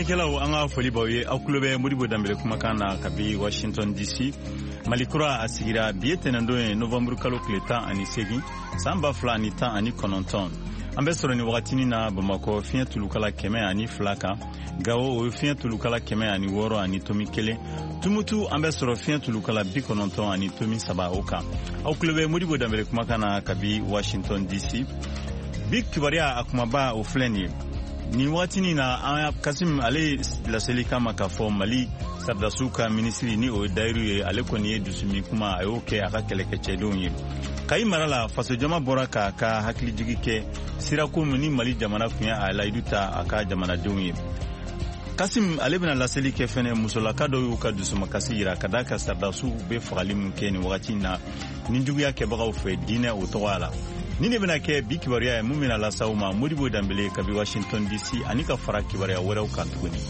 Kɛlaw, an ka foli b'aw ye. Aw tulo bɛ Modibo Danbele kumakan na kabi Washington DC. Mali kura a sigira. Bi ye tɛnɛndon ye, novembre kalo tile 18, san 2019. An bɛ sɔrɔ nin wagatinin na Bamakɔ, fiɲɛ tulukala 102 kan. Gawo, o ye fiɲɛ tulukala 106.1. Tumutu, an bɛ sɔrɔ fiɲɛ tulukala 90.3 o kan. Aw tulo bɛ Modibo Danbele kumakan na kabi Washington DC. Bi kibaruya a kumaba, o filɛ nin ye. Nin wagatinin na, an Kasim ale ye laseli kama k'a fɔ Mali sɔrɔdasiw ka minisiri, ni o ye Dayiru ye, ale kɔni ye dusumi kuma, a y'o kɛ a ka kɛlɛkɛcɛdenw ye. Kayi mara la, fasojama bɔra k'a ka hakilijigi kɛ sirako min ni Mali jamana tun ye a layidu ta a ka jamanadenw ye. Kasim ale bɛna laseli kɛ fɛnɛ, musolaka dɔw y'u ka dusumakasi yira ka da ka sɔrɔdasiw bɛ fagali min kɛ nin wagati na ni juguya kɛbagaw fɛ diinɛ o tɔgɔya la. Ni de bɛna kɛ bi kibaruya ye mun bɛna lase aw ma, Modibo Danbele kabi Washington DC, ani ka fara kibaruya wɛrɛw kan tuguni.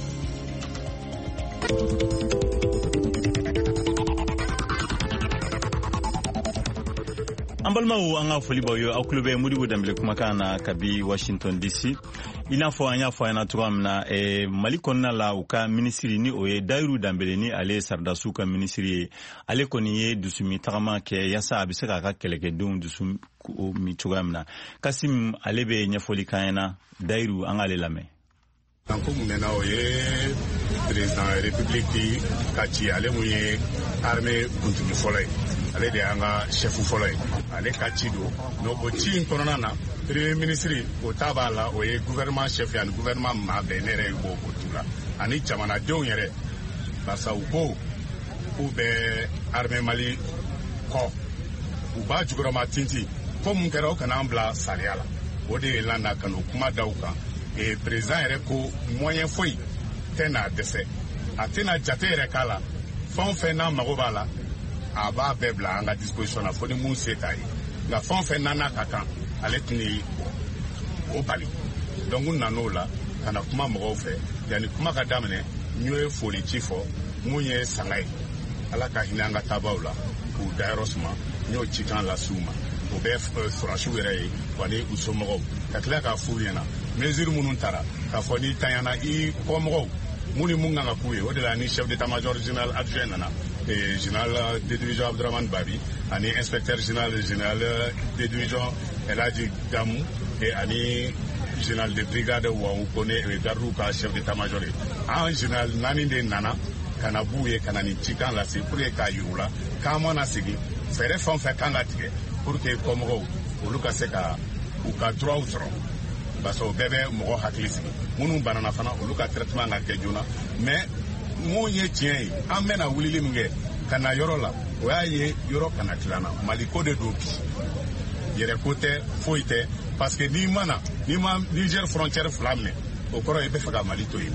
An balimaw, an ka foli b'aw ye. Aw tulo bɛ Modibo Danbele kumakan na kabi Washington DC. I n'a fɔ an y'a fɔ a ɲɛna cogoya min na, Mali kɔnɔna la, u ka minisiri, ni o ye Dayiru Danbele, ni ale ye sɔrɔdasiw ka minisiri ye, ale kɔni ye dusumi tagama kɛ yaasa a bɛ se k'a ka kɛlɛkɛdenw dusu min cogoya min na. Kasim ale bɛ ɲɛfɔli k'an ɲɛna. Dayiru, an k'ale lamɛn. Ko mun na, o ye président république ka ci. Ale mun ye armée kuntigi fɔlɔ ye, ale de y'an ka chef fɔlɔ ye, ale ka ci don. Donc o ci in kɔnɔna na, premier ministre o ta b'a la, o ye gouvernement chef ye, ani gouvernement maa bɛɛ, ne yɛrɛ b'o o tu la, ani jamanadenw yɛrɛ, barisa u ko k'u bɛ armée Mali kɔ, u b'a jukɔrɔma tintin. Ko mun kɛra, o kana an bila sariya la. O de ye landa ka n'o kuma da u kan. Président yɛrɛ ko moyen foyi tɛ n'a dɛsɛ, a tɛna jate yɛrɛ k'a la. Fɛn o fɛn n'a mago b'a la, a b'a bɛɛ bila an ka disposition na, fo ni mun se t'a ye. Nka fɛn o fɛn n'a n'a ka kan, ale tɛna o bali. Donc n nan'o la ka na kuma mɔgɔw fɛ. Yanni kuma ka daminɛ, n ye foli ci fɔ mun ye sanga ye, Ala ka hinɛ an ka taabaw la k'u dayɔrɔ suma. N y'o cikan lase u ma, o bɛ sɔrɔdasiw yɛrɛ ye wa ni u somɔgɔw, ka tila k'a f'u ɲɛna mesure minnu tara, k'a fɔ n'i tanyana i kɔmɔgɔw, mun ni mun kan ka k'u ye. O de la ni chef d'état-major général adjoint nana, général de division Abdurahmane Babi, ani inspecteur général, général de division Elhaji Gamu, ani général de brigade Wawu Kone, gardiw ka chef d'état-major ye. An général naani de nana ka na b'u ye ka na nin cikan lase pour que k'a yir'u la k'an mana segin, fɛɛrɛ fɛn o fɛn kan ka tigɛ pour que kɔmɔgɔw olu ka se ka u ka droits sɔrɔ, parce que o bɛɛ bɛ mɔgɔ hakili sigi. Minnu banana fana, olu ka traitement ka kɛ joona. Mais mun ye tiɲɛ ye, an bɛna wulili min kɛ ka na yɔrɔ la, o y'a ye yɔrɔ kana tilanna. Maliko de don bi, yɛrɛ ko tɛ, foyi tɛ, parce que n'i ma na, n'i ma Niger frontière fila minɛ, o kɔrɔ i bɛ fɛ ka Mali to yen.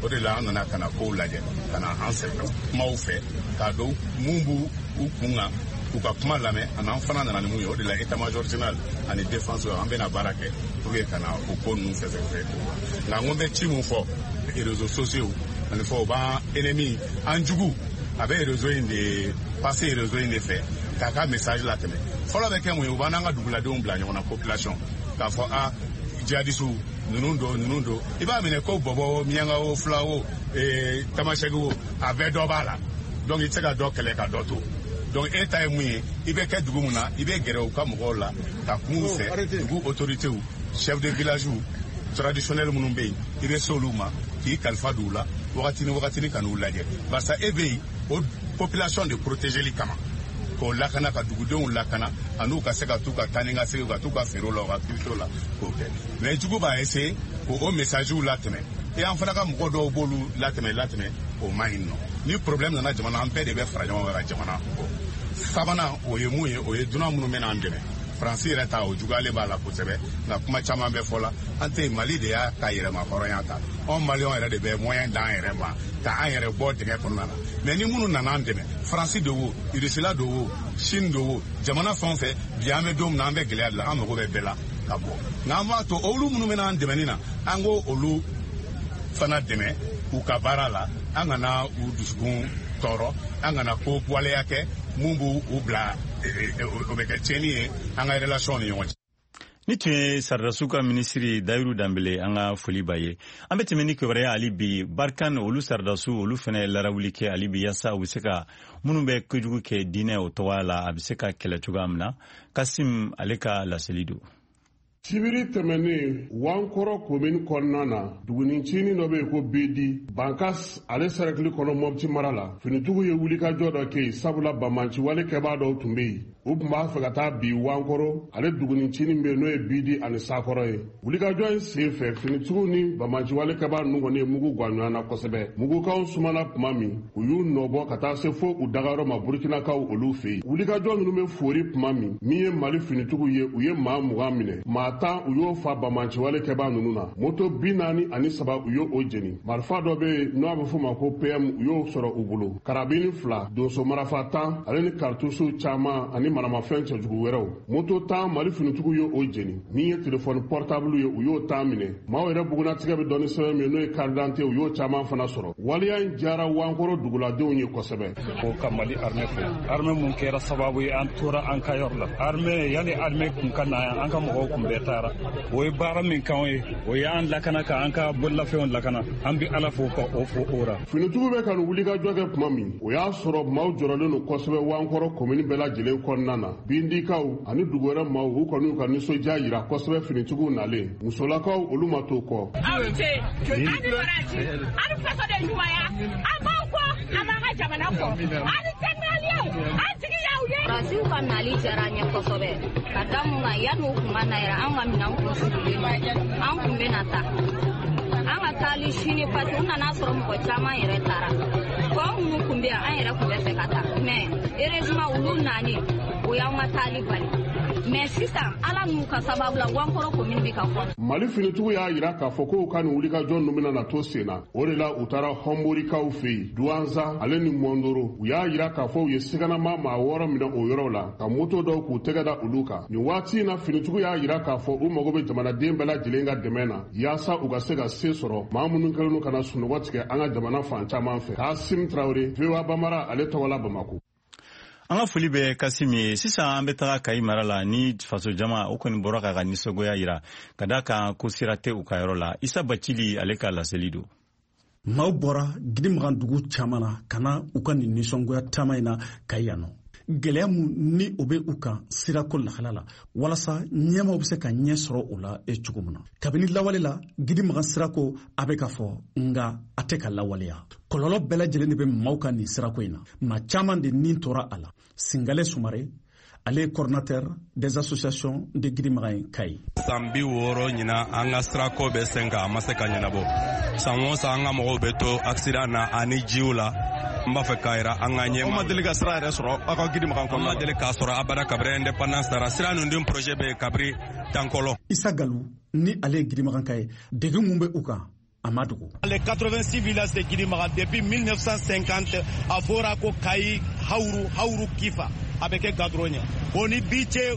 O de la an nana ka na kow lajɛ, ka na an sɛbɛ kumaw fɛ k'a dɔn mun b'u u kun kan, k'u ka kuma lamɛn. Ani an fana nana ni mun ye. O de la état major général ani défense, an bɛna baara kɛ pour que ka na o ko ninnu fɛsɛfɛsɛ. Nka n ko n bɛ ci mun fɔ, réseaux sociaux ani fɔ, o b'an ennemi, an jugu, a bɛ réseau in de passer, réseau in de fɛ k'a ka message latɛmɛ. Fɔlɔ bɛ kɛ mun ye, u b'an n'an ka duguladenw bila ɲɔgɔn na, population, k'a fɔ a jihadisiw ninnu don, ninnu don. I b'a minɛ ko bɔbɔ o, miyanka o, fila o, tamasɛki o, a bɛɛ dɔ b'a la. Donc i tɛ se ka dɔ kɛlɛ ka dɔ to. Donc e ta ye mun ye, i bɛ kɛ dugu mun na, i bɛ gɛrɛ u ka mɔgɔw la ka kuma u fɛ, dugu autorités, chef de village traditionnel minnu bɛ yen, i bɛ se olu ma k'i kalifa don u la wagati ni wagati ka n'u lajɛ, barisa e bɛ yen o population de protégeli kama, k'o lakana, ka dugudenw lakana, ani ka se ka t'u ka taa ni ka segin, ka t'u ka feerew la, u ka activité la, k'o kɛ. Mais jugu b'a essayer k'o message latɛmɛ, e an fana ka mɔgɔ dɔw b'olu latɛmɛ latɛmɛ, o man ɲi nɔ. Ni problème nana jamana, an bɛɛ de bɛ fara ɲɔgɔn kan ka jamana bɔ. Sabanan, o ye mun ye, o ye dunan minnu bɛ n'an dɛmɛ. Faransi yɛrɛ ta, o juguyalen b'a la kosɛbɛ, nka kuma caman bɛ fɔ la. An tɛ Mali de y'a ka yɛrɛma hɔrɔnya ta, anw Maliyɛnw yɛrɛ de bɛ moyen d'an yɛrɛ ma ka an yɛrɛ bɔ dingɛ kɔnɔna na. Mais ni minnu nana an dɛmɛ, Faransi de wo, Irisila de wo, Chine de wo, jamana fɛn o fɛn, bi an bɛ don min na, an bɛ gɛlɛya de la, an mago bɛ bɛɛ la ka bɔ. Nka an b'a to olu minnu bɛ an dɛmɛni na, an k'o olu fana dɛmɛ u ka baara la. An kana u dusukun tɔɔrɔ, an kana ko waleya kɛ mun b'u bila, o bɛ kɛ tiɲɛni ye an ka relation ni ɲɔgɔn cɛ. Ni tun ye sɔrɔdasiw ka minisiri Dayiru Danbele, an ka foli b'a ye. An bɛ tɛmɛ ni kibaruya hali bi. Barkhane, olu sɔrɔdasiw, olu fana larawuli kɛ hali bi yaasa u bɛ se ka minnu bɛ kojugu kɛ diinɛ o tɔgɔya la, a bɛ se ka kɛlɛ cogoya min na. Kasim ale ka laseli don. Sibiri tɛmɛnen, Wankɔrɔ komini kɔnɔna na, dugunicinin dɔ bɛ yen ko Bedi, Bankas ale sɛrɛkili kɔnɔ, Mɔpti mara la, finitigiw ye wulikajɔ dɔ kɛ yen, sabula banbanciwale kɛbaa dɔw tun bɛ yen, u tun b'a fɛ ka taa bi Wankɔrɔ ale dugunicinin bɛ yen, n'o ye Bidi ani Sakɔrɔ ye. Wulikajɔ in sen fɛ, finitigiw ni banbanciwale kɛbaa ninnu kɔni ye mugu gan ɲɔgɔn na kosɛbɛ. Mugukanw sumana tuma min, u y'u nɔbɔ ka taa se fo u dagayɔrɔ ma Burukinakaw olu fɛ yen. Wulikajɔ ninnu bɛ fori tuma min, min ye Mali finitigiw ye, u ye maa 20 minɛ, maa 10 u y'o fa banbanciwale kɛbaa ninnu na. Moto 43, u y'o jeni. Marifa dɔ bɛ yen n'o a bɛ f'o ma ko PM, u y'o sɔrɔ u bolo, karabini fila, donso marafa 10 ale ni karitusiw caman ani maramafɛn cɛjugu wɛrɛw. Moto 10, Mali finitigiw ye o jeni. Min ye telefɔni portable ye, u y'o 10 minɛ. Maaw yɛrɛ bugunatigɛ bɛ dɔn ni sɛbɛn min ye, n'o ye carte d'identité, u y'o caman fana sɔrɔ. Waleya in diyara Wankɔrɔ duguladenw ye kosɛbɛ. Ko ka Mali armée fo, armée mun kɛra sababu ye an tora an ka yɔrɔ la. Armée, yanni armée kun ka na yan, an ka mɔgɔw kun bɛɛ taara. O ye baara min k'anw ye, o ye an lakana, ka an ka bololafɛnw lakana. An bɛ Ala fo ka o fo o ra. Finitigiw bɛ ka nin wulikajɔ kɛ tuma min, o y'a sɔrɔ maaw jɔrɔlen don kosɛbɛ Wankɔrɔ komini bɛɛ lajɛlen kɔnɔna na. Bindikaw ani dugu wɛrɛ maaw, u kɔni y'u ka nisɔndiya yira kosɛbɛ finitigiw nalen. Musolakaw, olu ma to kɔ. Aw ni ce, aw ni baraji, aw ni fasoden ɲumanya. An b'aw kɔ, an b'an ka jamana kɔ. Aw ni sɛnɛgaliyɛnw, an jigi y'aw ye. Faransiw ka nali diyara an ye kosɛbɛ, ka da mun kan, yanni u kun ka na yɛrɛ, an ka minɛnw kun sigilen don, an kun bɛ na taa an ka taali sini, parce que u nana sɔrɔ mɔgɔ caman yɛrɛ taara. Tɔ minnu kun bɛ yan, an yɛrɛ kun bɛ fɛ ka taa, mais heureusement olu nani, o y'an ka taali bali. Mais sisan, Ala n'u ka sababu la, Wankɔrɔ komini bɛ ka kɔnɔ. Mali finitigiw y'a yira k'a fɔ k'u ka nin wulikajɔ ninnu bɛna na to sen na. O de la, u taara Hɔnborikaw fɛ yen, Duwanza ale ni Mɔndoro. U y'a yira k'a fɔ u ye siganama maa wɔɔrɔ minɛ o yɔrɔw la, ka moto dɔw k'u tɛgɛ da olu kan. Nin waati in na, finitigiw y'a yira k'a fɔ u mago bɛ jamanaden bɛɛ lajɛlen ka dɛmɛ na, yaasa u ka se ka se sɔrɔ maa minnu kɛlen don ka na sunɔgɔ tigɛ an ka jamana fan caman fɛ. Kasim Tarawele, VOA Bambara ale tɔgɔ la, Bamako. An ka foli bɛ Kasim ye. Sisan an bɛ taga Kayi mara la ni faso jama, o kɔni bɔra k'a ka nisɔngoya yira ka da kan ko sira tɛ u ka yɔrɔ la. Isa Bacili ale ka laseli don. Maaw bɔra Gidimagan dugu caman na ka na u ka nin nisɔngoya taama in na Kayi yan nɔ. Gɛlɛya mun ni o bɛ u kan sirako lahala la, walasa ɲɛmaw bɛ se ka ɲɛ sɔrɔ o la cogo min na. Kabini lawale la, Gidimagan sirako a bɛ ka fɔ, nka a tɛ ka lawaleya. Kɔlɔlɔ bɛɛ lajɛlen de bɛ maaw ka nin sirako in na. Maa caman de nin tora a la. Singale Sumare, ale ye coordinateur des associations de Gidimagan Kayi. San 60 ɲina, an ka sirako bɛ sen kan, a ma se ka ɲɛnabɔ. San o san, an ka mɔgɔw bɛ to accident na ani jiw la. N b'a fɛ k'a yira an ka ɲɛma. Aw ma deli ka sira yɛrɛ sɔrɔ aw ka Gidimagan kɔnɔ? An ma deli k'a sɔrɔ abada kabiri indépendance taara. Sira ninnu dun projet bɛ yen kabiri tankɔlɔ. Isa Galu ni ale ye Gidimagan ka ye, degun mun bɛ u kan, a ma dogo. Les 86 villages de Gidimagan, depuis 1950, a fɔra ko Kayi Hawuru, Hawuru Kifa, a bɛ kɛ goudron ye. O ni bi cɛ,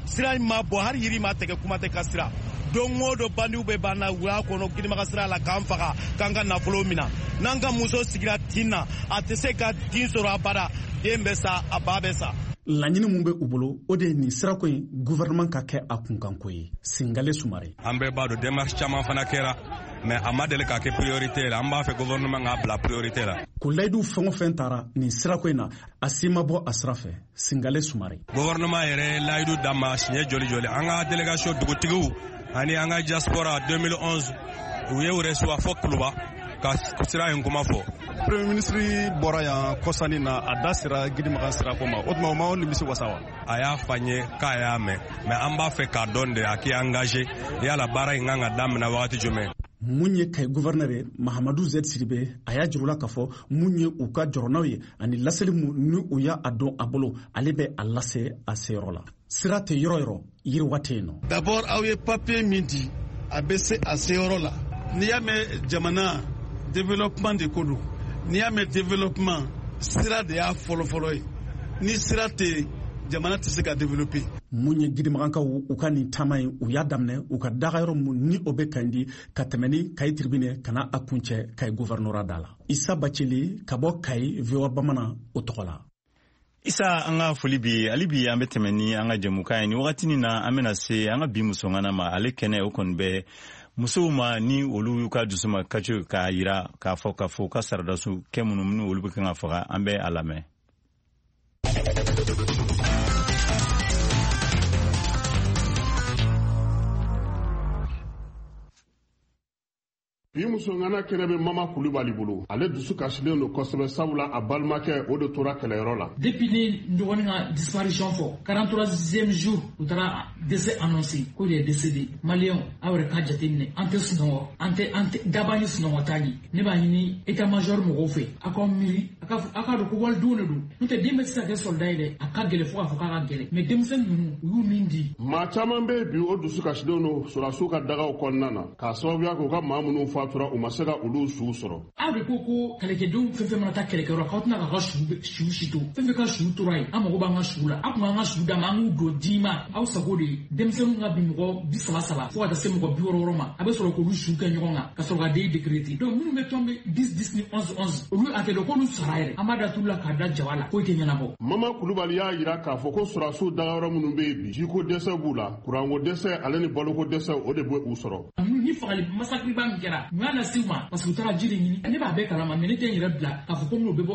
sira in ma bɔ, hali yiri ma tigɛ, kuma tɛ ka sira. Don o don, bandiw bɛ ban na wula kɔnɔ Gidimaga sira la k'an faga, k'an ka nafolo minɛ. N'an ka muso sigira tin na, a tɛ se ka den sɔrɔ abada. Den bɛ sa, a ba bɛ sa. Laɲini mun bɛ u bolo, o de ye nin sirako in, gouvernement ka kɛ a kunkanko ye. Singale Sumare. An bɛɛ b'a dɔn, démarche caman fana kɛra, mais a ma deli k'a kɛ priorité la. An b'a fɛ gouvernement k'a bila priorité la. Ko layidu fɛn o fɛn taara nin sirako in na, a si ma bɔ a sira fɛ. Singale Sumare. Gouvernement yɛrɛ ye layidu d'an ma siɲɛ joli joli. An ka délégation dugutigiw ani an ka diaspora, 2011 u ye reçoit fo Kuluba ka sira in kuma fɔ. Premier ministre bɔra yan kɔsani na, a da sera Gidimagan sirako ma. O tuma, o ma nimisi wasa wa? A y'a fɔ an ye k'a y'a mɛn, mais an b'a fɛ k'a dɔn de, a k'i engagé yala baara in kan ka daminɛ wagati jumɛn. Mun ye Kayi gouverneur ye, Mahamadu Z Sidibe, a y'a jir'u la k'a fɔ mun ye u ka jɔrɔnaw ye ani laseli mun ni u y'a dɔn a bolo, ale bɛ a lase a seyɔrɔ la. Sira tɛ yɔrɔ yɔrɔ, yiriwa tɛ yen nɔ. D'abord, aw ye papier min di, a bɛ se a seyɔrɔ la. N'i y'a mɛn jamana, développement de ko don. N'i y'a mɛn développement, sira de y'a fɔlɔfɔlɔ ye. Ni sira tɛ yen, jamana tɛ se ka développer. Mun ye Gidimagankaw u ka nin taama in, u y'a daminɛ u ka dagayɔrɔ mun ni o bɛ Kandi, ka tɛmɛ ni Kayi tribune ka na a kuncɛ Kayi gouvernorat da la. Isa Bacili ka bɔ Kayi, VOA Bamanan o tɔgɔ la. Isa, an ka foli bi hali bi. An bɛ tɛmɛ ni an ka jɛmukan ye. Ni wagatinin na, an bɛna se an ka bi musoŋana ma. Ale kɛnɛ o kɔni bɛ musow ma ni olu y'u ka dusuma kaco k'a yira k'a fɔ k'a fɔ u ka saradasu kɛ minnu ni olu bɛ kan ka faga. An bɛ a lamɛn. Bi musoŋana kɛnɛ bɛ Mama Kulubali bolo. Ale dusu kasilen don kosɛbɛ, sabula a balimakɛ o de tora kɛlɛyɔrɔ la. Depuis ne dɔgɔnin ka disparition fɔ, 43e jour, u taara décès annoncé ko il est décédé. Maliyɛnw, aw yɛrɛ ka jateminɛ, an tɛ sunɔgɔ, an tɛ an tɛ daba ni sunɔgɔ t'a ɲɛ. Ne b'a ɲini état major mɔgɔw fɛ, aw ka miiri, a k'a dɔn ko walidenw de don. N'o tɛ, den bɛ se ka kɛ soldat ye dɛ, a ka gɛlɛn fo k'a fɔ k'a ka gɛlɛn, mais denmisɛnnin ninnu, u y'u min di. Maa caman bɛ bi, o dusu kasilen don sɔrɔdasiw ka dagaw kɔnɔna na, k'a sababuya kɛ u ka maa minnu fatura, u ma se ka olu suw sɔrɔ. Aw de ko ko kɛlɛkɛdenw fɛn fɛn mana taa kɛlɛkɛyɔrɔ, k'aw tɛna k'a ka su si to. Fɛn fɛn ka su tora yen, an mago b'an ka su la. Aw tun k'an ka su d'a ma, an k'u don di ma. Aw sago de ye denmisɛnninw ka bin mɔgɔ 33 fo ka taa se mɔgɔ 60 ma, a bɛ sɔrɔ k'olu su kɛ ɲɔgɔn kan ka sɔrɔ ka den décréter. Donc minnu bɛ tomber 10 10 ni 11 11, olu a tɛ dɔn k'olu sara yɛrɛ. An b'a da tulu la k'a da jaba la, foyi tɛ ɲɛnabɔ. Mama Kulubali y'a yira k'a fɔ ko sɔrɔdasiw dagayɔrɔ minnu bɛ yen bi, jiko dɛsɛ b'u la, kuranko dɛsɛ ale ni baloko dɛsɛ, o de bɛ u sɔrɔ. Ni fagali massacre ba min kɛra, mun y'a lase u ma? Parce que u taara ji de ɲini. Ne b'a bɛɛ kalama, mais ne tɛ n yɛrɛ bila k'a fɔ ko n'o bɛ bɔ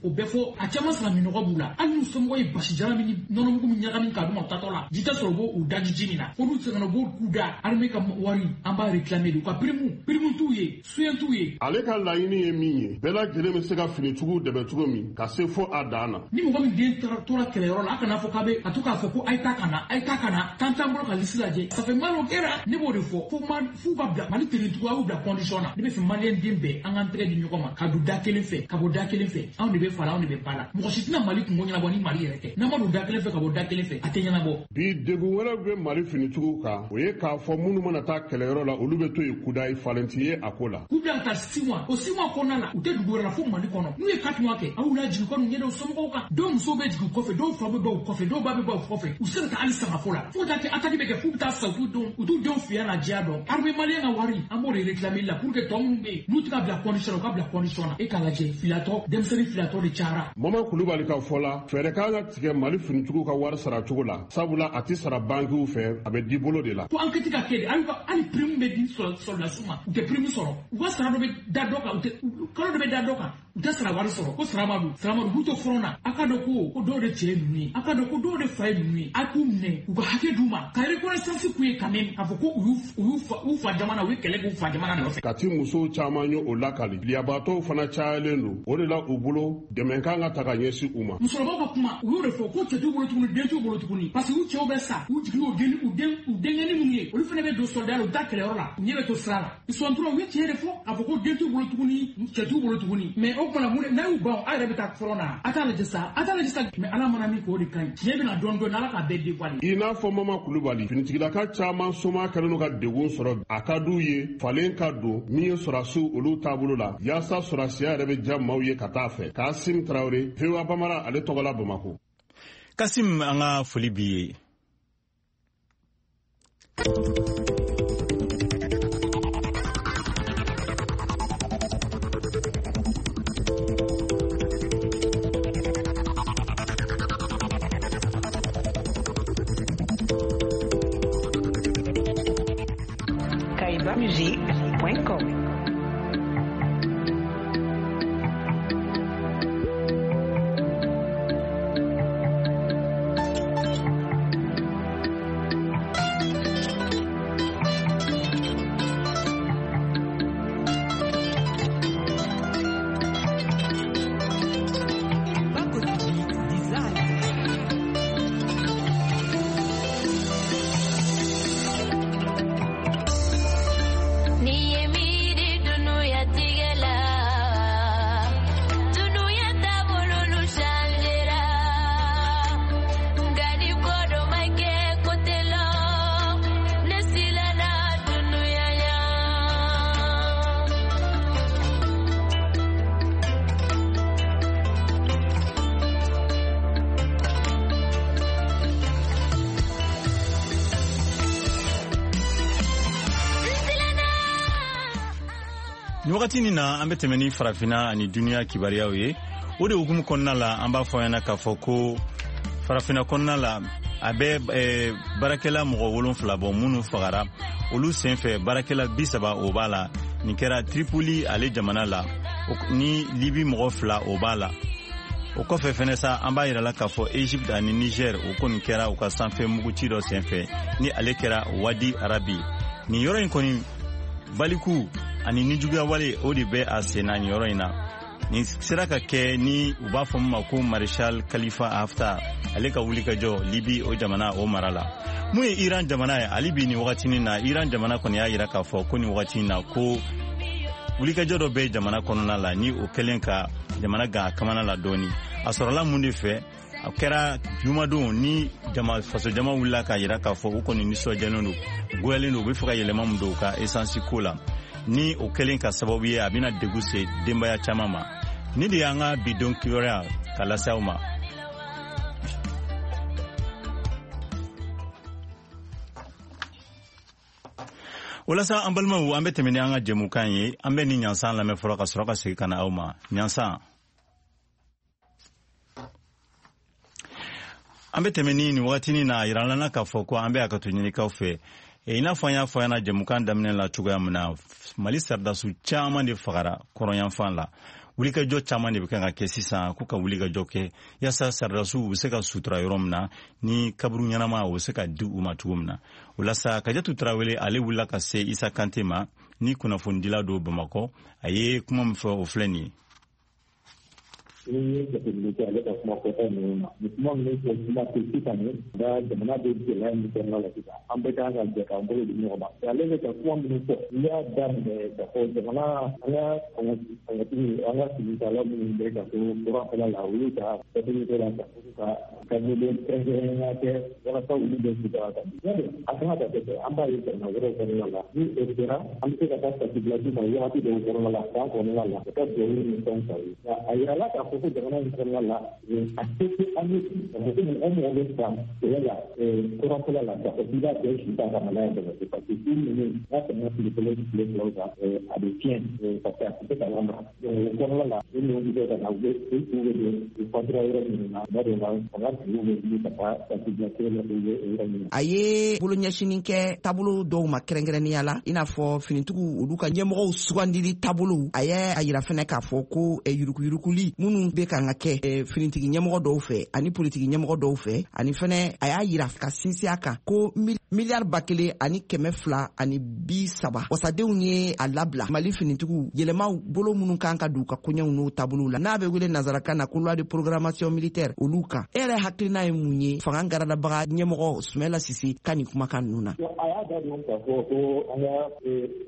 o bɛɛ fɔ. A caman sara minɔgɔ b'u la. Hali n'u somɔgɔw ye basi jala min ni nɔnɔmugu min ɲagami k'a d'u ma, u tatɔ la ji tɛ sɔrɔ, u b'o u daji ji min na fo n'u sɛgɛnna, u b'o k'u da. Armée ka wari, an b'a réclamer de. U ka prime t'u ye, soutien t'u ye. Ale ka laɲini ye min ye, bɛɛ lajɛlen bɛ se ka finitigiw dɛmɛ cogo min ka se fo a dan na. Ni mɔgɔ min den tora kɛlɛyɔrɔ la, a kana fɔ k'a bɛ a to k'a fɔ ko a ye taa ka na, a ye taa ka na, tan t'an bolo ka liste lajɛ. Ça fait mal au cœur. Ne b'o de fɔ, fo ma f'u ka bila Mali tenitigiw, a y'u bila condition na. Ne bɛ fɛ maliyɛn den bɛɛ, an k'an tɛgɛ di ɲɔgɔn ma ka don da kelen fɛ ka bɔ da kelen fɛ. Anw de bɛ fa la, anw de bɛ ba la. Mɔgɔ si tɛna Mali kungo ɲɛnabɔ ni Mali yɛrɛ tɛ. N'an ma don da kelen fɛ ka bɔ da kelen fɛ, a tɛ ɲɛnabɔ. Bi, degun wɛrɛ bɛ Mali finitigiw kan, o ye k'a fɔ minnu mana taa kɛlɛyɔrɔ la, olu bɛ to yen kudayi, falen ti ye a ko la. K'u bila ka taa 6 mois, o 6 mois kɔnɔna la, u tɛ dugu wɛrɛ la fo Mali kɔnɔ. N'u ye 4 mois kɛ, aw lajigin kɔni ɲɛdɔn somɔgɔw kan. Dɔw musow bɛ jigin kɔfɛ, dɔw fa bɛ bɔ u kɔfɛ, dɔw ba bɛ bɔ u kɔfɛ. U se ka taa hali sangafo la, fo ka taa kɛ attaque bɛ kɛ, f'u bɛ taa sa, u t'u denw u t'u denw fiya n'a diya dɔn. Armée malien ka wari, an b'o de réclamer la pour que tɔ minnu bɛ yen n'u tɛ ka bila condition na, u ka bila condition na. E k'a lajɛ, filatɔ, denmisɛnnin filatɔ de cayara. Mama Kulubali ka fɔ la, fɛɛrɛ kan ka tigɛ Mali finitigiw ka wari sara cogo la, sabula a tɛ sara bankiw fɛ, a bɛ di bolo de la. Ko enquête ka kɛ de. Hali prime bɛ di sɔrɔdasiw ma, u tɛ prime sɔrɔ. U ka sara dɔ bɛ da dɔ kan, u tɛ kalo dɔ bɛ da dɔ kan, u tɛ sara wari sɔrɔ. Ko sara ma don, sara ma don, u b'u to front na. A ka dɔn ko dɔw de cɛ ye ninnu ye, a ka dɔn ko dɔw de fa ye ninnu ye. A k'u minɛ, u ka hakɛ d'u ma, ka reconnaissance k'u ye quand même, k'a fɔ ko u y'u fa jamana, u ye kɛlɛ k'u fa jamana nɔfɛ. Kati musow caman ye o lakali, liyabaatɔw fana cayalen don. O de la, u bolo, dɛmɛ kan ka ta ka ɲɛsin u ma. Musokɔrɔbaw ka kuma, u y'o de fɔ ko cɛ t'u bolo tuguni, den t'u bolo tuguni, parce que u cɛw bɛ sa, u jigin u den u den u denkɛni minnu ye, olu fana bɛ don soldat la, u taa kɛlɛyɔrɔ la, u ɲɛ bɛ to sira la. Ils sont trop. U ye tiɲɛ de fɔ k'a fɔ ko den t'u bolo tuguni, cɛ t'u bolo tuguni. Mais o tuma na, mun n'a y'u ban, aw yɛrɛ bɛ taa front na. A t'a lajɛ sa, a t'a lajɛ sa. Mais Ala mana min k'o de ka ɲi, tiɲɛ bɛna dɔɔni dɔɔni, Ala k'a bɛɛ dévoiler. I n'a fɔ Mama Kulubali, finitigilaka caman soma kɛlen don ka degun sɔrɔ. A ka d'u ye falen ka don min ye sɔrɔdasiw olu taabolo la, yaasa sɔrɔdasiya yɛrɛ bɛ diya maaw ye ka taa fɛ. Kasim Tarawele, VOA Bamara ale tɔgɔ la, Bamako. Kasim, an ka foli b'i ye. kaibamusic.com. Ni ye miiri dunuya tigɛ la, dunuya taabolo changera, nka ni ko dɔ ma kɛ, ko tɛ lɔ, ne siranna dunuya ɲɛ. N siranna. Ni wagati nin na, an bɛ tɛmɛ ni Farafinna ani duniya kibaruyaw ye. O de hukumu kɔnɔna la, an b'a fɔ ɲɛna k'a fɔ ko farafinna kɔnɔna la, a bɛ baarakɛla mɔgɔ 7 bɔ minnu fagara. Olu senfɛ, baarakɛla 30 o b'a la. Nin kɛra Tripoli ale jamana la, ni Libi mɔgɔ 2 o b'a la. O kɔfɛ fɛnɛ sa, an b'a yirala k'a fɔ Egypte ani Niger, o kɔni kɛra u ka sanfɛ muguci dɔ senfɛ, ni ale kɛra Wadi Arabi. Nin yɔrɔ in kɔni, baliku ani nijuguyawale, o de bɛ a sen na nin yɔrɔ in na. Nin sera ka kɛ ni u b'a fɔ min ma ko Maréchal Khalifa Haftar, ale ka wulikajɔ Libi o jamana o mara la. Mun ye Iran jamana ye hali bi nin wagatinin na? Iran jamana kɔni y'a yira k'a fɔ ko nin wagati in na, ko wulikajɔ dɔ bɛ jamana kɔnɔna la, ni o kɛlen ka jamana gan a kamana la dɔɔni. A sɔrɔla mun de fɛ? A kɛra jumadon ni jama faso jama wulila k'a yira k'a fɔ u kɔni nisɔndiyalen don, goyalen don, u bɛ fɛ ka yɛlɛma min don u ka esansi ko la, ni o kɛlen ka sababu ye a bɛna degun se denbaya caman ma. Ni de y'an ka bi don kibaruya ka lase aw ma. Walasa an balimaw, an bɛ tɛmɛ ni an ka jɛmukan ye. An bɛ ni ɲansan lamɛn fɔlɔ, ka sɔrɔ ka segin ka na aw ma. Ɲansan, an bɛ tɛmɛ ni nin wagatinin na. A yirala k'a fɔ ko an bɛ hakɛto ɲinikaw fɛ. I n'a fɔ an y'a fɔ ɲɛna jɛmukan daminɛ la cogoya min na, Mali sɔrɔdasiw caman de fagara kɔrɔnyanfan la. Wulikajɔ caman de bɛ kan ka kɛ sisan, k'u ka wulikajɔ kɛ yaasa sɔrɔdasiw u bɛ se ka sutura yɔrɔ min na, ni kaburu ɲɛnama o bɛ se ka di u ma cogo min na. O la sa, Kajatu Tarawele, ale wulila ka se Isa Kante ma, ni kunnafonidila don Bamakɔ. A ye kuma min fɔ, o filɛ nin ye. Ni ye jateminɛ kɛ ale ka kuma fɔta ninnu na, nin kuma ninnu fɔ kuma tɛ sisan. Ni nka jamana bɛ gɛlɛya min kɔnɔna la sisan, an bɛɛ kan ka jɛ k'an bolo di ɲɔgɔn ma. Ale bɛ ka kuma minnu fɔ, n'i y'a daminɛ ka fɔ jamana, an ka fangatigi, an ka finitala minnu bɛ ka to kɔrɔnfɛla la, olu ka datuguliko la, ka fɔ ka miliyɔn kɛrɛnkɛrɛnnenya kɛ walasa olu bɛ sutura ka di. A kan ka kɛ, an b'a ye jamana wɛrɛw kɔnɔna la, ni o kɛra, an bɛ se ka taa tasibila d'u ma wagati dɔw kɔnɔna la, san kɔnɔna la, ka taa duwawu ni fɛnw ta ye. Nka a yirala k'a fɔ ko jamana in kɔnɔna la, a se tɛ an ye k'a fɔ ko mɔgɔ mɔgɔ bɛ san kɛlɛ la kɔrɔnfɛla la, k'a fɔ k'i b'a bɛɛ su ta ka na n'a ye Bamakɔ, parce que su ninnu n'a tɛmɛna tile 1, tile 2 kan, a bɛ tiɲɛ, parce que a tɛ se ka lamara. Donc o kɔnɔna la, u ninnu bɛ ka na, u bɛ u su bɛ don u fatura yɔrɔ minnu na, tuma dɔw la fanga tigiw bɛ wuli ka taa tasibila kɛ la yɔrɔ minnu. A ye bolo ɲɛsinin kɛ taabolo dɔw ma, kɛrɛnkɛrɛnnenya la i n'a fɔ finitigiw, olu ka ɲɛmɔgɔw sugandili taabolow. A ye a yira fɛnɛ k'a fɔ ko yurukuyurukuli minnu bɛ kan ka kɛ finitigi ɲɛmɔgɔ dɔw fɛ ani politiki ɲɛmɔgɔ dɔw fɛ. Ani fɛnɛ a y'a yira ka sinsin a kan ko miliyari 1230, wasadenw ye a labila Mali finitigiw yɛlɛmaw bolo minnu kan ka don u ka koɲɛw n'o taabolow la, n'a bɛ wele nansarakan na ko loi de programmation militaire, olu kan. E yɛrɛ hakilina ye mun ye fanga garadabaga ɲɛmɔgɔ Sumɛla Sise ka nin kumakan ninnu na? A y'a da don k'a fɔ ko an ka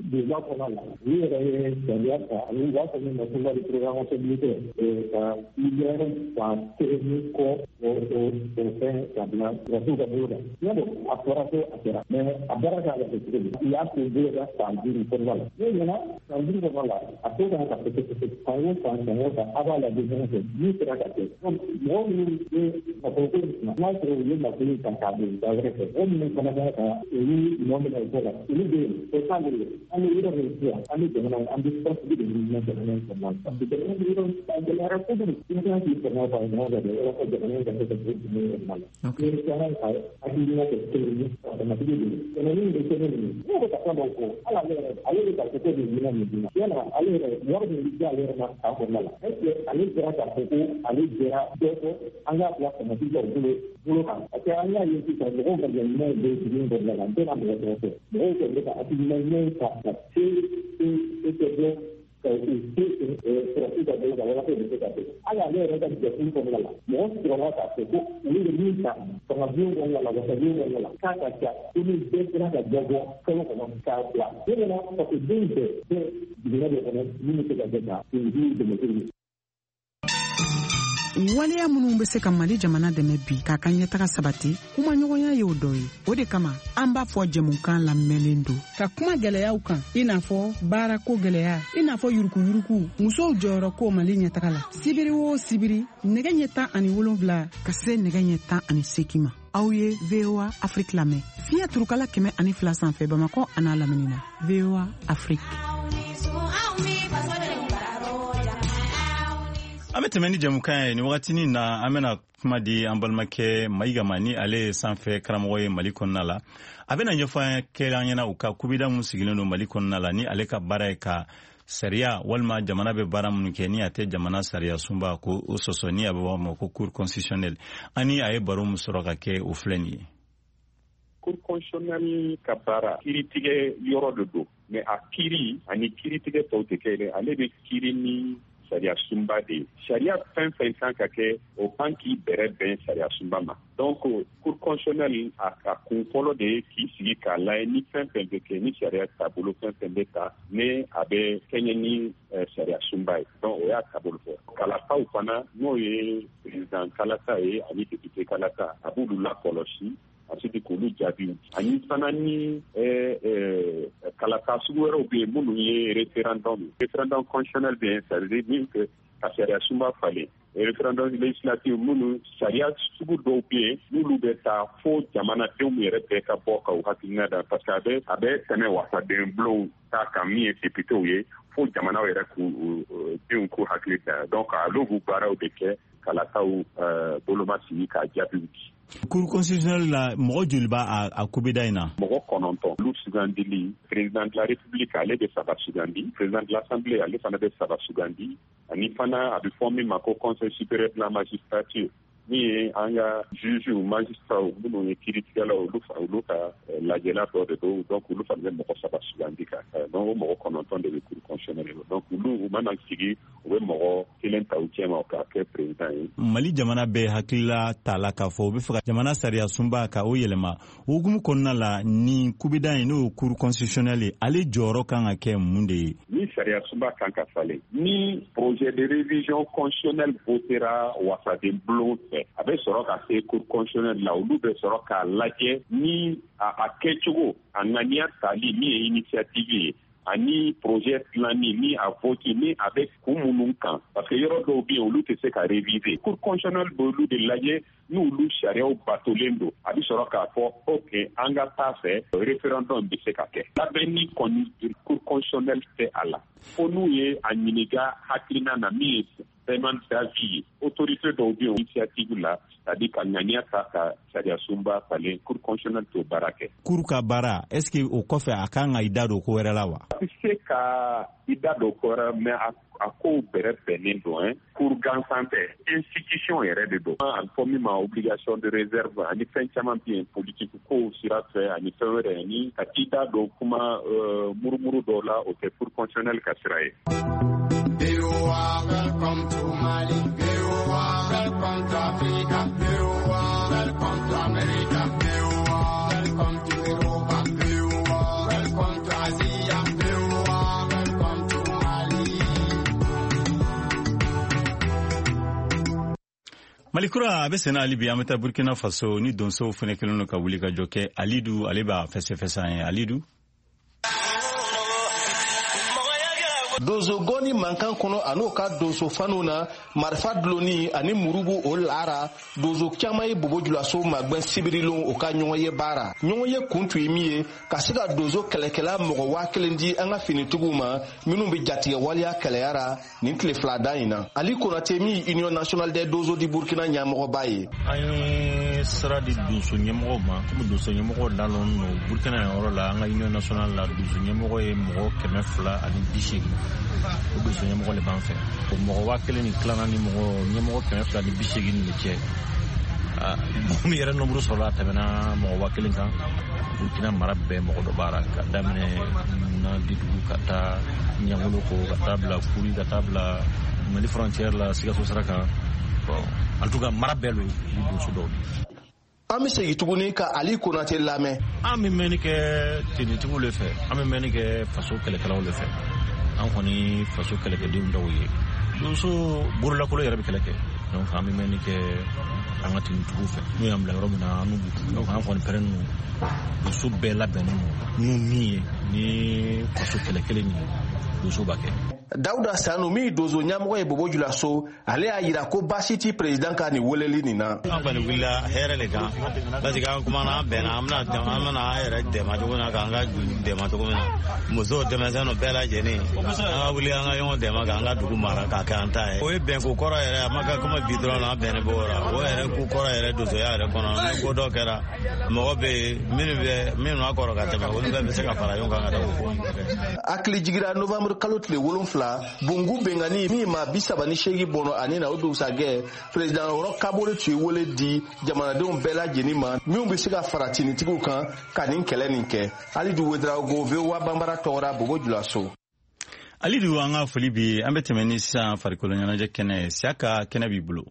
donba kɔnɔ la, olu yɛrɛ ye sariya ta ani u b'a fɔ min ma ko loi de programmation militaire, ka miliyari 1000 ni kɔ o fɛn ka bila sɔrɔdasiw ka bolo kan. Y'a dɔn, a fɔra ko a kɛra, mais a baara kan ka kɛ cogo di? U y'a k'u bolo kan san 5 kɔnɔna la. N'o ɲɛna san 5 kɔnɔna la, a ko kan ka kɛ san o san, san o san, a b'a lajɛ ɲɔgɔn fɛ min sera ka kɛ. Mɔgɔ minnu bɛ nafolo ko in kunna, n'a sɔrɔ u ye nafolo ta k'a don da wɛrɛ fɛ, mɔgɔ minnu fana kan ka olu nɔ minɛ o ko la, olu bɛ yen, o t'ale ye. An bɛ yɔrɔ min sisan, an bɛ jamana, an bɛ basigi de ɲini jamana in kɔnɔna la, parce que jamana bɛ yɔrɔ a gɛlɛyara kojugu. I kan k'i fanga fara ɲɔgɔn kan de walasa jamana in ka se ka bɔ dingɛ in kɔnɔna la. Ni kan ka hakilina kɛ kelen ye, ka jamatigi de kɛmɛ min bɛ kɛ nin ye, ne bɛ ka fɛn dɔw fɔ, hali ale yɛrɛ, ale bɛ ka fɔ ko nin minɛn nin d'i ma, yala ale yɛrɛ wari min bɛ di ale yɛrɛ ma san kɔnɔna la, est ce que ale sera k'a fɔ ko ale jɛra dɔ kɔ an k'a bila jamatigi ka bolo kan? Parce que an y'a ye sisan, mɔgɔw ka ɲuman bɛ dugu in kɔnɔna la, n tɛna mɔgɔ tɔgɔ fɔ, mɔgɔw kɔni bɛ ka hakilina ɲuman ta ka se se se bɔ ka u se sɔrɔdasiw ka bolo kan walasa u bɛ se ka kɛ. Hali ale yɛrɛ ka jɛkulu kɔnɔna la, mɔgɔ sɔrɔla k'a fɔ ko olu bɛ min ta fanga bulon kɔnɔna la, wasabulon kɔnɔna la, k'a ka ca ko ni bɛɛ sera ka dɔ bɔ kalo kɔnɔ k'a bila ne nana, parce que den bɛɛ bɛ jiginɛ dɔ kɔnɔ min bɛ se ka kɛ ka finitigiw dɛmɛ cogo min. Waleya minnu bɛ se ka Mali jamana dɛmɛ bi k'a ka ɲɛtaga sabati, kumaɲɔgɔnya y'o dɔ ye. O de kama an b'a fɔ jɛmukan lamɛnlen don ka kuma gɛlɛyaw kan, i n'a fɔ baarako gɛlɛya, i n'a fɔ yurukuyuruku, musow jɔyɔrɔ ko Mali ɲɛtaga la. Sibiri o sibiri, nɛgɛ ɲɛ 17 ka se nɛgɛ ɲɛ 18 ma, aw ye VOA Afrique lamɛn fiɲɛ turukala 102 sanfɛ, Bamakɔ an'a lamini na. VOA Afrique. An An bɛ tɛmɛ ni jɛmukan ye nin wagatinin na. An bɛna kuma di an balimakɛ Mayiga ma, ni ale ye sanfɛ karamɔgɔ ye Mali kɔnɔna la. A bɛna ɲɛfɔ kɛ an ɲɛna u ka kubida mun sigilen don Mali kɔnɔna la, ni ale ka baara ye ka sariya walima jamana bɛ baara minnu kɛ ni a tɛ jamana sariya sunba ko o sɔsɔ, ni a bɛ fɔ ma ko Cour constitutionnelle. Ani a ye baro min sɔrɔ ka kɛ, o filɛ nin ye. Cour constitutionnelle ka baara, kiiritigɛ yɔrɔ de don, mais a kiiri ani kiiritigɛ tɔw tɛ kɛ. Ale bɛ kiiri ni sariya sunba de ye. Sariya fɛn fɛn kan ka kɛ, o kan k'i bɛrɛ bɛn sariya sunba ma. Donc Cour constitutionnelle, a ka kun fɔlɔ de ye k'i sigi k'a lajɛ ni fɛn fɛn bɛ kɛ, ni sariya taabolo fɛn fɛn bɛ ta, ni a bɛ kɛɲɛ ni sariya sunba ye. Donc o y'a taabolo fɔ. Kalataw fana, n'o ye président kalata ye ani député kalata, a b'olu lakɔlɔsi, ensuite k'olu jaabiw, ani fana ni kalata sugu wɛrɛw bɛ yen minnu ye référendum, référendum constitutionnel bɛ yen, c'est à dire min kɛ ka sariya sunba falen, référendum législatif, minnu sariya sugu dɔw bɛ yen n'olu bɛ taa fo jamanadenw yɛrɛ bɛɛ ka bɔ ka u hakilina da, parce que a bɛ tɛmɛ wasaden bulonw ta kan, min ye députéw ye, fo jamanaw yɛrɛ k'u denw k'u hakili da. Donc olu b'u baaraw de kɛ, kalataw boloma sigi k'a jaabiw di. Cour constitutionnelle la, mɔgɔ joli b'a a kubida in na? Mɔgɔ 9. Olu sugandili, président de la République, ale bɛ saba sugandi, président de l'Assemblée, ale fana bɛ saba sugandi, ani fana a bɛ fɔ min ma ko Conseil supérieur de la magistrature, min ye an ka juges, magistrats minnu ye kiiritigɛlaw, olu ka lajɛla dɔ de don. Donc olu fana bɛ mɔgɔ saba sugandi ka, donc o mɔgɔ 9 de bɛ Cour constitutionnelle la. Donc olu, u mana sigi, u bɛ mɔgɔ kelen ta u cɛ ma k'a kɛ président ye. Mali jamana bɛ hakilila ta la k'a fɔ u bɛ fɛ ka jamana sariya sunba ka o yɛlɛma. O hukumu kɔnɔna la, nin kubida in, n'o ye Cour constitutionnelle ye, ale jɔyɔrɔ kan ka kɛ mun de ye? Ni sariya sunba kan ka falen, ni projet de révision constitutionnelle votera wasaden bulon fɛ, a bɛ sɔrɔ ka se Cour constitutionnelle la. Olu bɛ sɔrɔ k'a lajɛ ni a kɛcogo, a ŋaniya tali min ye initiative ye, ani projet dilanni ni a vote, ni a bɛ kun minnu kan, parce que yɔrɔ dɔw bɛ yen, olu tɛ se ka réviser. Cour constitutionnelle b'olu de lajɛ. N'olu sariyaw batolen don, a bɛ sɔrɔ k'a fɔ ok, an ka taa fɛ, référendum bɛ se ka kɛ. Labɛnni kɔni, Cour constitutionnelle tɛ a la fo n'u ye a ɲininka hakilina na, min ye demande d'avis ye. Autorité dɔw bɛ yen, initiative la, c'est à dire ka ŋaniya ta ka sariya sunba falen, Cour constitutionnelle t'o baara kɛ. Cour ka baara, est ce que o kɔfɛ a kan ka i da don ko wɛrɛ la wa? A bɛ se ka i da don ko wɛrɛ, mais a kow bɛrɛ bɛnnen don hein. Cour gansan tɛ, institution yɛrɛ de don. A bɛ fɔ min ma obligation de réserve, ani fɛn caman bɛ yen, politique kow sira fɛ ani fɛn wɛrɛ, ani ka t'i da don kuma murumuru dɔw la, o tɛ Cour constitutionnelle ka sira ye. Welcome to Mali. Welcome to Africa. Welcome to America. Welcome to Europa. Welcome to Asia. Welcome to Mali. Malikura a bɛ senna hali bi. An bɛ taa Burkina Faso, ni donsow fɛnɛ kɛlen don ka wuli ka jɔ kɛ. Alidu, ale b'a fɛsɛfɛsɛ an ye. Alidu. Donso gɔni mankan kɔnɔ, a n'o ka donso faniw na marifa dulonni ani murubu o lara, donso caman ye Bobo Julaso magwɛn sibirilon o ka ɲɔgɔn ye baara. Ɲɔgɔn ye kun tun ye min ye, ka se ka donso kɛlɛkɛla mɔgɔ 1000 di an ka finitigiw ma minnu bɛ jatigɛ waleya kɛlɛyara nin tile fila da in na. Ali Konate, min Union nationale des donso di Burkina ɲɛmɔgɔba ye. An ye sira di donso ɲɛmɔgɔw ma, komi donso ɲɛmɔgɔw lalɔn no Burkina yɔrɔ la. An ka Union nationale la, donso ɲɛmɔgɔ ye mɔgɔ 280. O donso ɲɛmɔgɔ le b'an fɛ. O mɔgɔ 1000 ni tilan ni mɔgɔ ɲɛmɔgɔ 280 de cɛ, mɔgɔ min yɛrɛ nombre sɔrɔla, a tɛmɛna mɔgɔ 1000 kan. Burkina mara bɛɛ mɔgɔ dɔ b'a la, ka daminɛ Nadidugu ka taa Ɲangolo ko, ka taa bila Kuri, ka taa bila Mali frontière la, Sikaso sira kan. Bon, en tout cas, mara bɛɛ lo i donso dɔw di. An bɛ segin tuguni ka Ali Konate lamɛn. An bɛ mɛnni kɛ tenitigiw le fɛ, an bɛ mɛnni kɛ faso kɛlɛkɛlaw le fɛ. An kɔni faso kɛlɛkɛdenw dɔw ye, donso bololakolo yɛrɛ bɛ kɛlɛ kɛ. Donc an bɛ mɛnni kɛ an ka tenitigiw fɛ, n'u y'an bila yɔrɔ min na, an n'u. Donc an kɔni pɛrɛn ninnu, donso bɛɛ labɛnnen don n'u min ye ni faso kɛlɛ kelen nin ye, donso b'a kɛ. Dawuda Sanu min donso ɲɛmɔgɔ ye Bobo Julaso, ale y'a yira ko baasi ti président ka nin weleli nin na. An kɔni wulila hɛrɛ de kan parce que an kumana, an bɛnna, an bɛna an yɛrɛ dɛmɛ cogo min na, k'an ka dugu dɛmɛ cogo min na, musow, denmisɛnninw bɛɛ lajɛlen, an ka wuli an ka ɲɔgɔn dɛmɛ k'an ka dugu mara k'a kɛ an ta ye. O ye bɛnko kɔrɔ yɛrɛ, a ma kɛ komi bi dɔrɔn na, an bɛnnen b'o la. O yɛrɛ ko kɔrɔ yɛrɛ donsoya yɛrɛ kɔnɔ, ni ko dɔ kɛra, mɔgɔ bɛ yen minnu bɛ minnu b'a kɔrɔ ka tɛmɛ, olu bɛɛ bɛ se ka fara ɲɔgɔn kan ka taa o ko kɛ. Hakili jigira novembre kalo tile 7, Bungu bengani min ma 38 bɔnɔ ani na o dugusajɛ, président Roch Kabore tun ye wele di jamanadenw bɛɛ lajɛlen ma minnu bɛ se ka fara tinitigiw kan ka nin kɛlɛ nin kɛ. Alidu Wedraogo, VOA Banbara tɔgɔra, Bobo Julaso. Alidu, an ka foli bi. An bɛ tɛmɛ ni sisan farikolo ɲɛnajɛ kɛnɛ ye. Siyaka, kɛnɛ b'i bolo.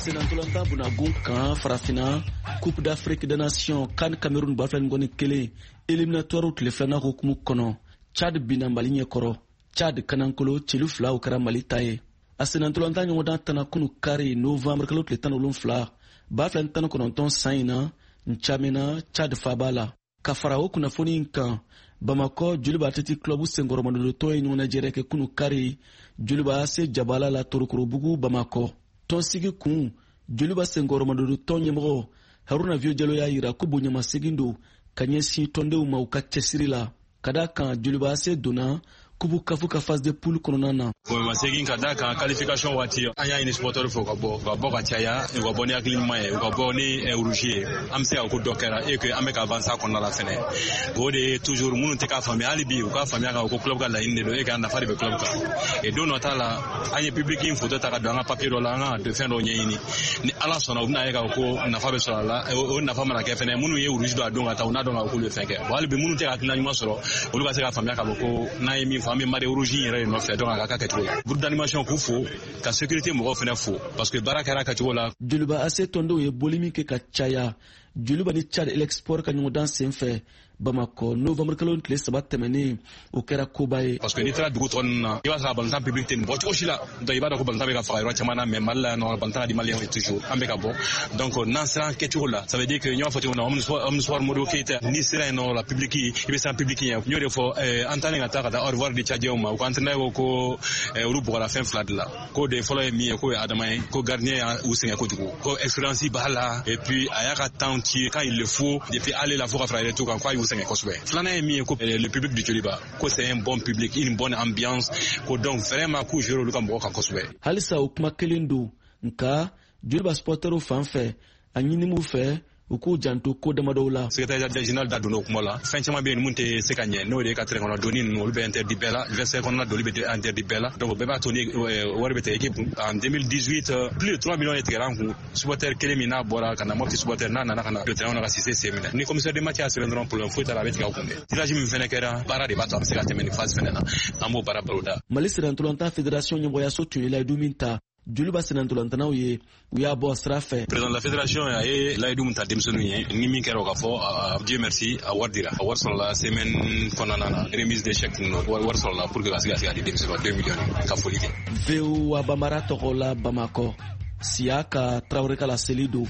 Senantolantan bunagun kan, Farafina Coupe d'Afrique des Nations CAN Cameroun 2021 éliminatoire tile filanan hukumu kɔnɔ, Chad binna Mali ɲɛkɔrɔ. Chad kanankolo celu 2, o kɛra Mali ta ye. A senantolantan ɲɔgɔndan tana kunu kari, novembre kalo tile 17, 2019 san in na, N'Djamena, Chad faba la. Ka fara o kunnafoni in kan, Bamakɔ Joliba Athletic Club senkɔrɔmadondotɔ ye ɲɔgɔnnajɛrɛ kɛ kunu kari Joliba AC jabala la, Torokorobugu, Bamakɔ. Tɔnsigi kun Joliba senkɔrɔmadondotɔ ɲɛmɔgɔ Haruna Vieux Jalo y'a yira ko bonyamasegin don ka ɲɛsin tɔndenw ma u ka cɛsiri la, ka da kan Joliba AC donna Coupe CAF ka phase de poule kɔnɔna na. Bonyamasegin ka da kan qualification waati, an y'a ɲini supporter fɛ u ka bɔ, u ka bɔ ka caya, u ka bɔ ni hakili ɲuman ye, u ka bɔ ni rouge ye. An bɛ se ka ko dɔ kɛra et que an bɛ ka avancer a kɔnɔna la fɛnɛ. O de ye toujours minnu tɛ k'a faamuya, hali bi u k'a faamuya k'a fɔ ko club ka laɲini de don et que a nafa de bɛ club kan. Et don dɔ t'a la, an ye public in photo ta ka don an ka papier dɔ la, an kan ka fɛn dɔw ɲɛɲini. Ni Ala sɔnna, u bɛna ye k'a fɔ ko nafa bɛ sɔrɔ a la. O nafa mana kɛ fɛnɛ, minnu ye rouge don a don ka taa, u n'a dɔn k'a fɔ k'olu ye fɛn kɛ. Bon, hali bi minnu tɛ ka hakilina ɲuman sɔrɔ, olu ka se k'a faamuya k'a fɔ ko n'an ye min fɔ, an bɛ marée rouge in yɛrɛ de nɔfɛ. Donc a ka kɛcogo la, groupe d'animation k'u fo, ka sécurité mɔgɔw fɛnɛ fo, parce que baara kɛra a kɛcogo la. Joliba AC tɔndenw ye boli min kɛ ka caya Joliba ni Chad Elec Sport ka ɲɔgɔndan sen fɛ Bamakɔ novembre kalo tile 3 tɛmɛnen, o kɛra koba ye. Parce que n'i taara dugu tɔ ninnu na, i b'a sɔrɔ a balontan public tɛ nin bɔ cogo si la. Donc i b'a dɔn ko balontan bɛ ka faga yɔrɔ caman na, mais Mali la yan nɔ, balontan ka di Maliyɛnw ye toujours, an bɛ ka bɔ. Donc n'an sera an kɛcogo la, ça veut dire que n y'a fɔ cogo min na, Omnisport Modibo Keyita, n'i sera yen nɔ la, public, i bɛ siran public ɲɛ. N y'o de fɔ, an taalen ka taa au revoir di Tchadiens ma, u ka entraîneur ko ko olu bugɔra fɛn fila de la. K'o de fɔlɔ ye min ye, k'o ye Adama ye, ko gardien y'u sɛgɛn kojugu, ko expérience b'a la et puis a y'a ka temps ci quand il le faut depuis aller la fo ka fara retour kan, k'a y'u sɛgɛn kosɛbɛ. Filanan ye min ye, ko le public du Joliba, ko c'est un bon public, une bonne ambiance, ko donc vraiment k'u jouer olu ka mɔgɔ kan kosɛbɛ. Halisa o kuma kelen don, nka Joliba supporterw fan fɛ, a ɲini m'u fɛ u k'u janto ko damadɔw la. Secrétaire général da donna o kuma la. Fɛn caman bɛ yen mun tɛ se ka ɲɛ, n'o de ye ka terrain kɔnɔ donni ninnu, olu bɛ interdit bɛɛ la, vestiaire kɔnɔna doli bɛ interdit bɛɛ la. Donc o bɛɛ b'a to ni wari bɛ tigɛ équipe kun. En 2018, plus de 3 millions de tigɛra an kun, supporter kelen min n'a bɔra ka na Mopti, supporter n'a nana ka na don terrain kɔnɔ ka Cissé sen minɛ. Ni commissaire de match y'a sɛbɛn dɔrɔn, problème foyi t'a la, a bɛ tigɛ aw kun dɛ. Tirage min fɛnɛ kɛra, baara de b'a to a bɛ se ka tɛmɛ nin phase fɛnɛ na, an b'o baara boloda. Mali sirantolatan fédération ɲɛmɔgɔyaso tun ye layidu min ta Joliba senantolantanaw ye, u y'a bɔ sira fɛ. Président de la fédération a ye layidu min ta denmisɛnninw ye, ni min kɛra o ka fɔ, Dieu merci, a wari dira, a wari sɔrɔla semaine kɔnɔna na, remise de chèque ninnu, wari sɔrɔla pour que ka se ka di denmisɛnninw ma, 2 millions, ka foli kɛ. VOA Bambara tɔgɔ la, Bamakɔ, Siyaka Tarawele ka laseli don.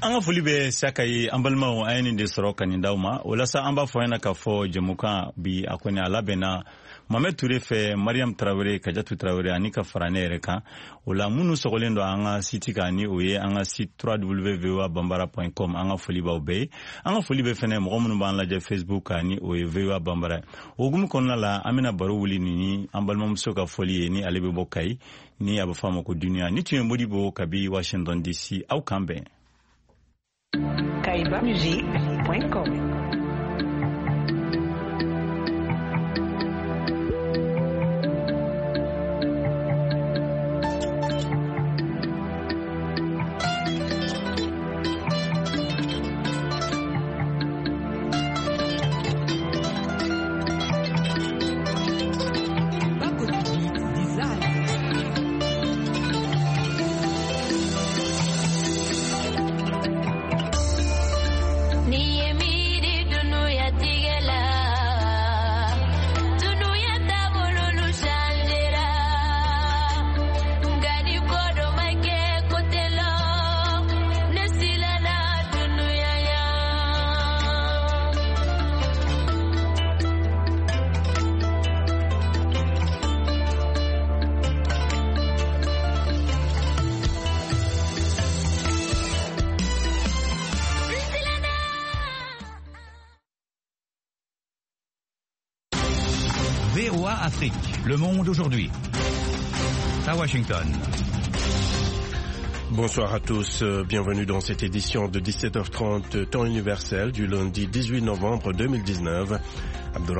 An ka foli bɛ Siyaka ye. An balimaw, an ye nin de sɔrɔ ka nin d'aw ma. O la sa, an b'a fɔ ɲɛna k'a fɔ jɛmukan bi, a kɔni a labɛnna Mohamed Ture fɛ, Mariam Tarawele, Kajatu Tarawele ani ka fara ne yɛrɛ kan. O la, minnu sɔgɔlen don an ka site kan, ni o ye an ka site www.voabambara.com, an ka foli b'aw bɛɛ ye. An ka foli bɛ fɛnɛ mɔgɔ minnu b'an lajɛ Facebook kan, ni o ye VOA Bambara ye. O hukumu kɔnɔna la, an bɛna baro wuli nin ni an balimamuso ka fɔli ye, ni ale bɛ bɔ Kayi, ni a bɛ fɔ a ma ko Duniya. Ni tun ye Modibo kabi Washington DC. Aw kan bɛn. kaibamusic.com. Ni ye miiri. VOA Afrique, le monde aujourd'hui. À Washington. Bonsoir à tous, bienvenue dans cette édition de 17h30 temps universel du lundi 18 novembre 2019.